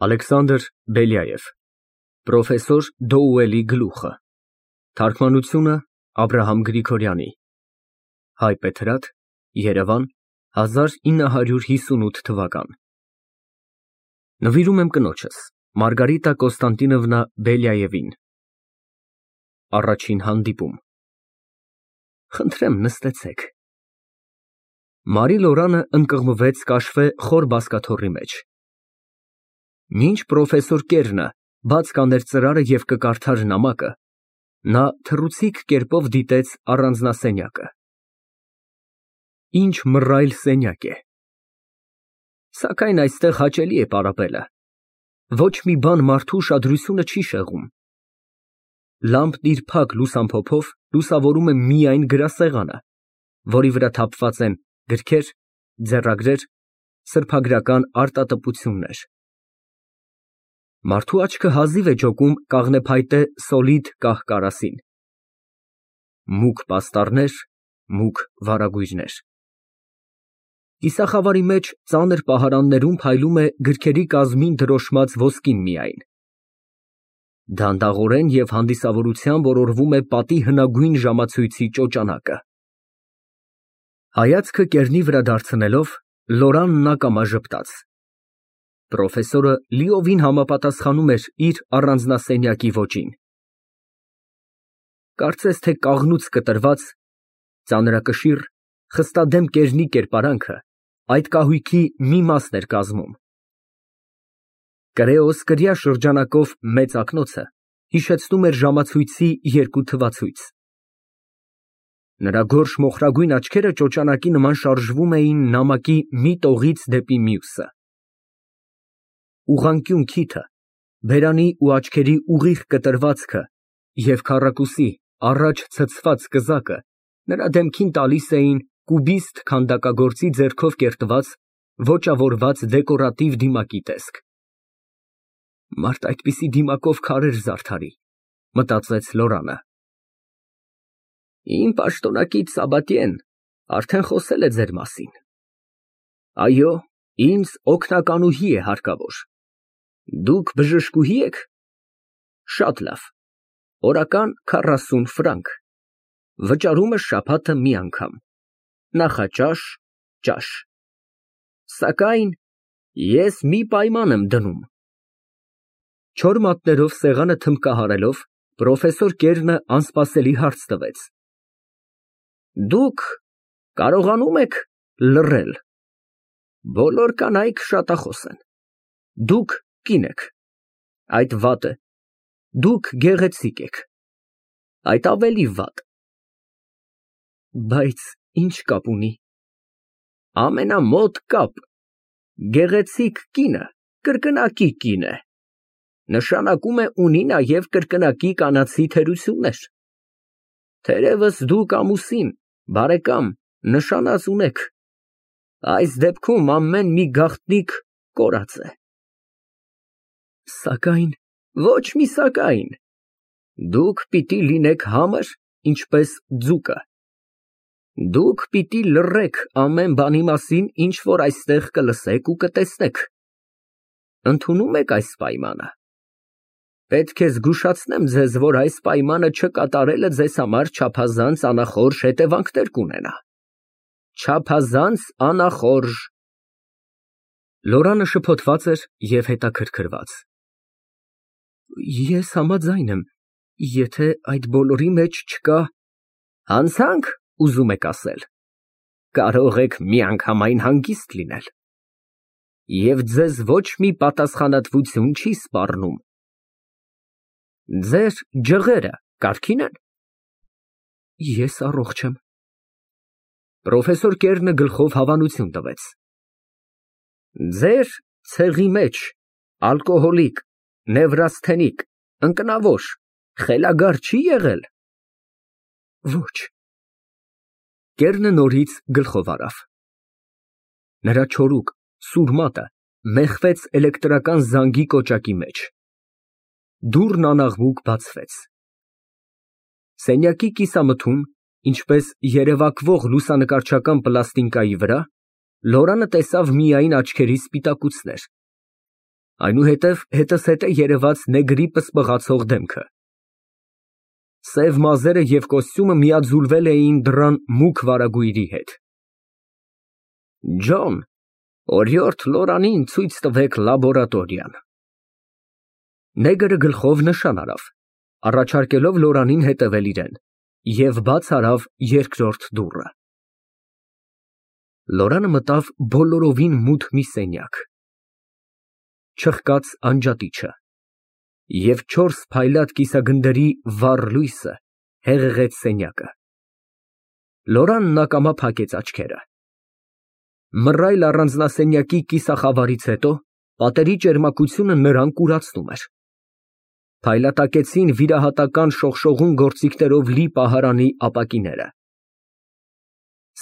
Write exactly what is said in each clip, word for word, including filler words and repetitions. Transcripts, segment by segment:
Ալեքսանդր Բելյաև Պրոֆեսոր Դոուելի գլուխը Թարգմանությունը Աբրահամ Գրիգորյանի Հայ Պետրատ Երևան հազար ինը հարյուր հիսունութ թվական Նվիրում եմ կնոջս Մարգարիտա Կոստանտինովնա Բելյաևին Առաջին հանդիպում Խնդրեմ նստեցեք Մարի Լորանը ընկղմվեց կաշվե խոր բազկաթոռի մեջ Մինչ պրոֆեսոր Կերնը բաց կաներ ծրարը և կկարդար նամակը, նա թռուցիկ կերպով դիտեց առանձնասենյակը։ Ինչ մռայլ սենյակ է։ Սակայն այստեղ հաճելի է պարապելը։ Ոչ մի բան մարդու ուշադրությունը չի շեղում։ Լամպն իր փակ լուսամփոփով լուսավորում է միայն գրասեղանը, որի վրա թափված են գրքեր, ձեռագրեր, սրբագրական արտատպություններ։ Մարդու աչքը հազիվ է ջոկում կաղնեփայտե սոլիդ կահ֊կարասին։ Մուգ պաստառներ, մուգ վարագույրներ։ Կիսախավարի մեջ ծանր պահարաններում փայլում է գրքերի կազմին դրոշմած ոսկին միայն։ Դանդաղորեն և հանդիսավորությամբ օրորվում է պատի հնագույն ժամացույցի ճոճանակը։ Հայացքը կեռնի վրա դարձնելով, Լորանն ակամա ժպտաց։ Պրոֆեսորը լիովին համապատասխանում էր իր առանձնասենյակի ոճին։ Կարծես թե կաղնուց կտրված, ծանրակշիռ, խստադեմ կեռնի կերպարանքը այդ կահույքի մի մասն էր կազմում։ Կրեոս կրիա շրջանակով մեծ ակնոցը հիշեցնում էր ժամացույցի երկու թվացույց։ Նրա գորշ մոխրագույն աչքերը ճոճանակի նման շարժվում էին նամակի մի տողից դեպի մյուսը։ Ուղղանկյուն քիթը, բերանի ու աչքերի ուղիղ կտրվածքը և քառակուսի առաջ ցցված կզակը նրա դեմքին տալիս էին կուբիստ քանդակագործի ձեռքով կերտված, ոճավորված դեկորատիվ դիմակի տեսք։ Մարդ այդպիսի դիմակով քարեր զարդարի, մտածեց Լորանը։ Իմ պաշտոնակից Սաբատիեն արդեն խոսել է ձեր մասին։ Այո, ինձ օգնականուհի է հարկավոր։ Դուք բժշկուհի եք։ Շատ լավ, օրական քառասուն ֆրանկ, վճարումը շաբաթը մի անգամ, նախաճաշ, ճաշ։ Սակայն ես մի պայման եմ դնում։ Չոր մատներով սեղանը թմբկահարելով, պրոֆեսոր Կերնը անսպասելի հարց տվեց։ Դուք կարողանում եք լռել։ Բոլոր կանայք շատախոս են։ Դուք կին եք, այդ վատ է։ Դուք գեղեցիկ եք, այդ ավելի վատ։ Բայց ինչ կապ ունի։ Ամենամոտ կապ։ Գեղեցիկ կինը կրկնակի կին է։ Նշանակում է ունի նաև կրկնակի կանացի թերություններ։ Թերևս դուք ամուսին, բարեկամ, նշանած ունեք։ Այս դեպքում ամեն մի գաղտնիք կորած է։ Սակայն, ոչ մի սակայն, դուք պիտի լինեք համր, ինչպես ձուկը։ Դուք պիտի լռեք ամեն բանի մասին, ինչ որ այստեղ կլսեք ու կտեսնեք։ Ընդունում եք այս պայմանը։ Պետք է զգուշացնեմ ձեզ, որ այս պայմանը չկատարելը ձեզ համար չափազանց անախորժ հետևանքներ կունենա։ Չափազանց անախորժ։ Լորանը շփոթված էր և հետաքրքրված։ Ես համաձայն եմ, եթե այդ բոլորի մեջ չկա… Հանցանք, ուզում եք ասել։ Կարող եք միանգամայն հանգիստ լինել։ Եվ ձեզ ոչ մի պատասխանատվություն չի սպառնում։ Ձեր ջղերը կարգին են։ Ես առողջ եմ։ Պրոֆեսոր Կերնը գլխով հավանություն տվեց։ Ձեր ցեղի մեջ ալկոհոլիկ, նևրասթենիկ, ընկնավոր, խելագար չի եղել։ Ոչ։ Կերնը նորից գլխով առավ։ Նրա չորուկ, սուր մատը մեխվեց էլեկտրական զանգի կոճակի մեջ։ Դուռն անաղմուկ բացվեց։ Սենյակի կիսամթում, ինչպես երևակվող լուսանկարչական պլաստինկայի վրա, Լորանը տեսավ միայն աչքերի սպիտակուցներ։ Այնուհետև հետզհետե երևաց նեգրի պսպղացող դեմքը։ Սև մազերը և կոստյումը միաձուլվել էին դռան մուգ վարագույրի հետ։ Ջոն, օրիորդ Լորանին ցույց տվեք լաբորատորիան։ Նեգրը գլխով նշան արավ, առաջարկելով Լորանին հետևել իրեն, և բաց արավ երկրորդ դուռը։ Լորանը մտավ բոլորովին մութ մի սենյակ։ Չխկաց անջատիչը, և չորս փայլատ կիսագնդերի վառ լույսը հեղեղեց սենյակը։ Լորանն ակամա փակեց աչքերը։ Մռայլ առանձնասենյակի կիսախավարից հետո պատերի ճերմակությունը նրան կուրացնում էր։ Փայլատակեցին վիրահատական շողշողուն գործիքներով լի պահարանի ապակիները։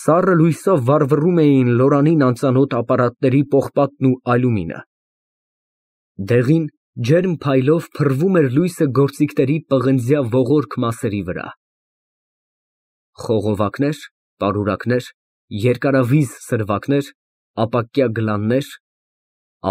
Սառը լույսով վառվռում էին Լորանին անծանոթ ապարատների պողպատն ու ալյումինը։ Դեղին, ջերմ փայլով փռվում էր լույսը գործիքների պղնձյա ողորկ մասերի վրա։ Խողովակներ, պարուրակներ, երկարավիզ սրվակներ, ապակյա գլաններ,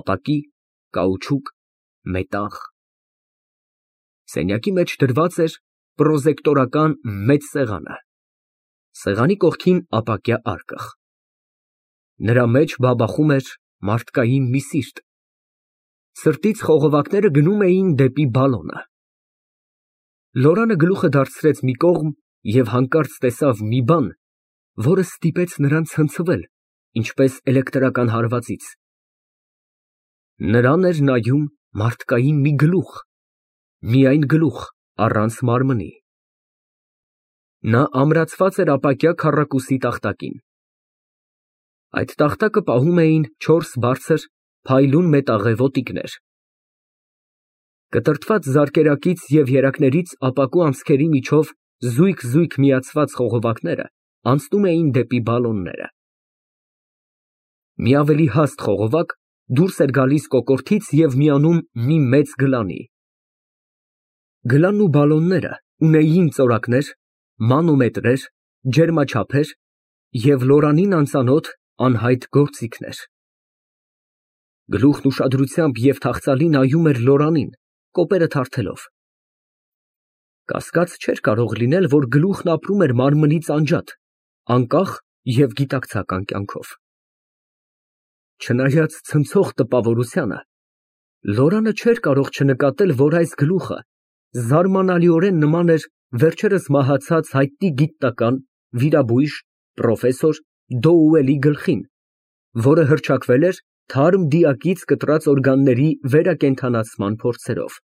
ապակի, կաուչուկ, մետաղ։ Սենյակի մեջ դրված էր պրոզեկտորական մեծ սեղանը, սեղանի կողքին ապակյա արկղ։ Նրա մեջ բաբախում էր մարդկային մի սիրտ։ Սրտից խողովակները գնում էին դեպի բալոնը։ Լորանը գլուխը դարձրեց մի կողմ և հանկարծ տեսավ մի բան, որը ստիպեց նրան ցնցվել, ինչպես էլեկտրական հարվածից։ Նրան էր նայում մարդկային մի գլուխ, միայն գլուխ, առանց մարմնի։ Նա ամրացված էր ապակյա քառակուսի տախտակին։ Այդ տախտակը պահում էին չորս բարձր, փայլուն մետաղե ոտիկներ։ Կտրտված զարկերակից և երակներից ապակու անցքերի միջով զույգ֊զույգ միացված խողովակները անցնում էին դեպի բալոնները։ Մի ավելի հաստ խողովակ դուրս էր գալիս կոկորդից և միանում մի մեծ գլանի։ Գլանն ու բալոնները ունեին ծորակներ, մանոմետրեր, ջերմաչափեր և Լորանին անծանոթ անհայտ գործիքներ։ Գլուխն ուշադրությամբ և թախծալի նայում էր Լորանին, կոպերը թարթելով։ Կասկած չէր կարող լինել, որ գլուխն ապրում էր մարմնից անջատ, անկախ և գիտակցական կյանքով։ Չնայած ցնցող տպավորությանը, Լորանը չէր կարող չնկատել, որ այս գլուխը զարմանալիորեն նման էր վերջերս մահացած հայտնի գիտնական, վիրաբույժ, պրոֆեսոր Դոուելի գլխին, որը հռչակվել էր թարմ դիակից կտրած օրգանների վերակենդանացման փորձերով։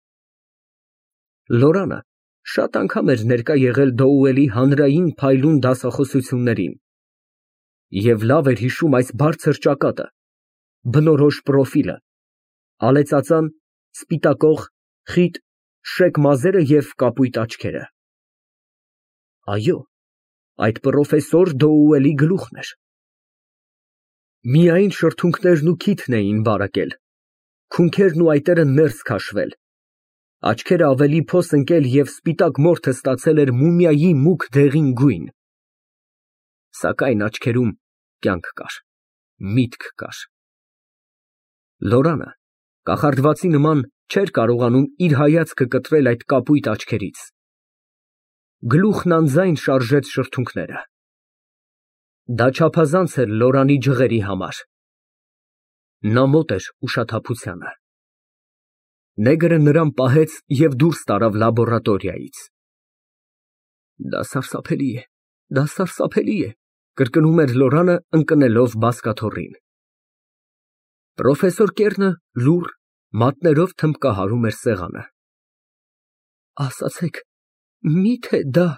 Լորանը շատ անգամ էր ներկա եղել Դոուելի հանրային փայլուն դասախոսություններին և լավ էր հիշում այս բարձր ճակատը, բնորոշ պրոֆիլը, ալեծածան, սպիտակող, խիտ, շեկ մազերը և կապույտ աչքերը։ Այո, այդ պրոֆեսոր Դոուելի գլուխն էր։ Միայն շրթունքներն ու քիթն էին բարակել, քունքերն ու այտերը ներս քաշվել, աչքերը ավելի փոս ընկել և սպիտակ մորթը ստացել էր մումիայի մուգ դեղին գույն։ Սակայն աչքերում կյանք կար, միտք կար։ Լորանը կախարդվածի նման չէր կարողանում իր հայացքը կտրել այդ կապույտ աչքերից։ Գլուխն անձայն շարժեց շրթունքները։ Դա չափազանց էր Լորանի ջղերի համար։ Նա մոտ էր ուշաթափությանը։ Նեգրը նրան պահեց և դուրս տարավ լաբորատորիայից։ Դա սարսափելի է, դա սարսափելի է, կրկնում էր Լորանը, ընկնելով բազկաթոռին։ Պրոֆեսոր Կեռնը լուռ, մատներով թմբկահարում էր սեղանը։ Ասացեք, մի՞թե դա…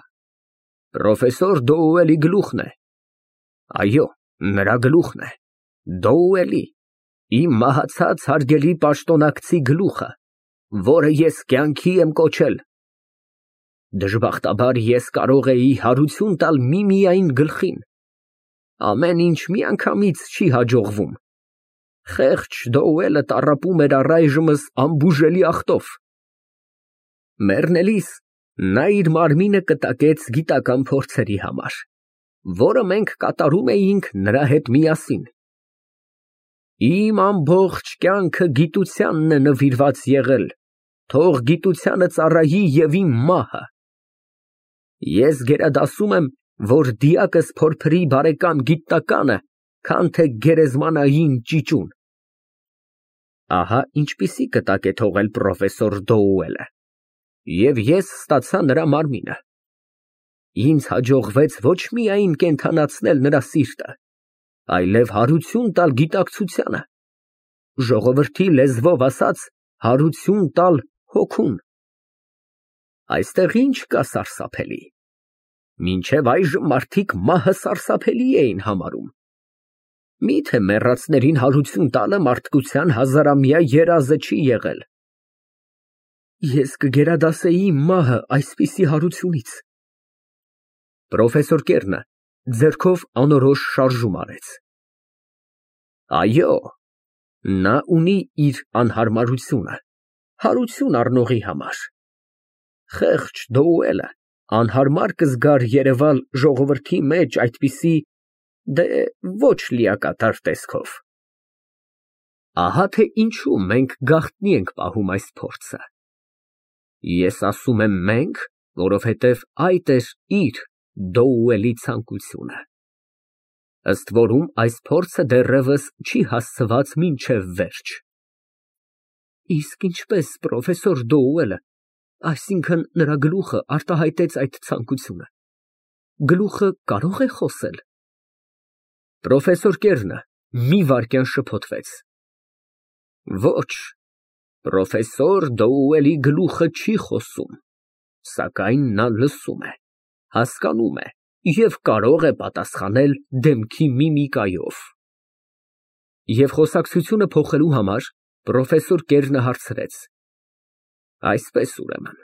Պրոֆեսոր Դոուելի գլուխն է։ Այո, նրա գլուխն է, Դոուելի, իմ մահացած հարգելի պաշտոնակցի գլուխը, որը ես կյանքի եմ կոչել։ Դժբախտաբար ես կարող էի հարություն տալ միմիայն գլխին։ Ամեն ինչ միանգամից չի հաջողվում։ Խեղճ Դոուելը տառապում էր առայժմս անբուժելի ախտով։ Մեռնելիս նա իր մարմինը կտակեց գիտական փորձերի համար, որը մենք կատարում էինք նրա հետ միասին։ Իմ ամբողջ կյանքը գիտությանն է նվիրված եղել, թող գիտությանը ծառայի և իմ մահը։ Ես գերադասում եմ, որ դիակս փորփրի բարեկամ գիտնականը, քան թե գերեզմանային ճիճուն։ Ահա ինչպիսի կտակ է թողել պրոֆեսոր Դոուելը, և ես ստացա նրա մարմինը։ Ինձ հաջողվեց ոչ միայն կենդանացնել նրա սիրտը, այլև հարություն տալ գիտակցությանը, ժողովրդի լեզվով ասած, հարություն տալ հոգուն։ Այստեղ ինչ կա սարսափելի։ Մինչև այժմ մարդիկ մահը սարսափելի էին համարում։ Միթե մեռածներին հարություն տալը մարդկության հազարամյա երազը չի եղել։ Ես կգերադասեի մահը այսպիսի հարությունից։ Պրոֆեսոր Կերնը ձեռքով անորոշ շարժում արեց։ Այո, նա ունի իր անհարմարությունը, հարություն առնողի համար։ Խեղճ Դոուելը անհարմար կզգար երևալ ժողովրդի մեջ այդպիսի, դե, ոչ լիակատար տեսքով։ Ահա թե ինչու մենք գաղտնի ենք պահում այս փորձը։ Ես ասում եմ մենք, որովհետև այդ էր իր Դոուելի ցանկությունը։ Ըստ որում այս փորձը դեռևս չի հասցված մինչև վերջ։ Իսկ ինչպես պրոֆեսոր Դոուելը, այսինքն նրա գլուխը արտահայտեց այդ ցանկությունը, գլուխը կարո՞ղ է խոսել։ Պրոֆեսոր Կերնը մի վայրկյան շփոթվեց։ Ոչ, պրոֆեսոր Դոուելի գլուխը չի խոսում, սակայն նա լսում է, հասկանում է և կարող է պատասխանել դեմքի միմիկայով։ Եվ խոսակցությունը փոխելու համար պրոֆեսոր Կերնը հարցրեց. Այսպես, ուրեմն,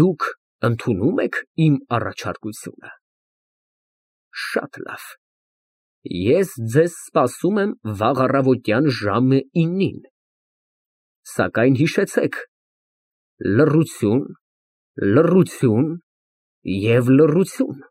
դուք ընդունո՞ւմ եք իմ առաջարկությունը։ Շատ լավ, ես ձեզ սպասում եմ վաղ առավոտյան ժամը իննին, սակայն հիշեցեք, լռություն, լռություն և լռություն։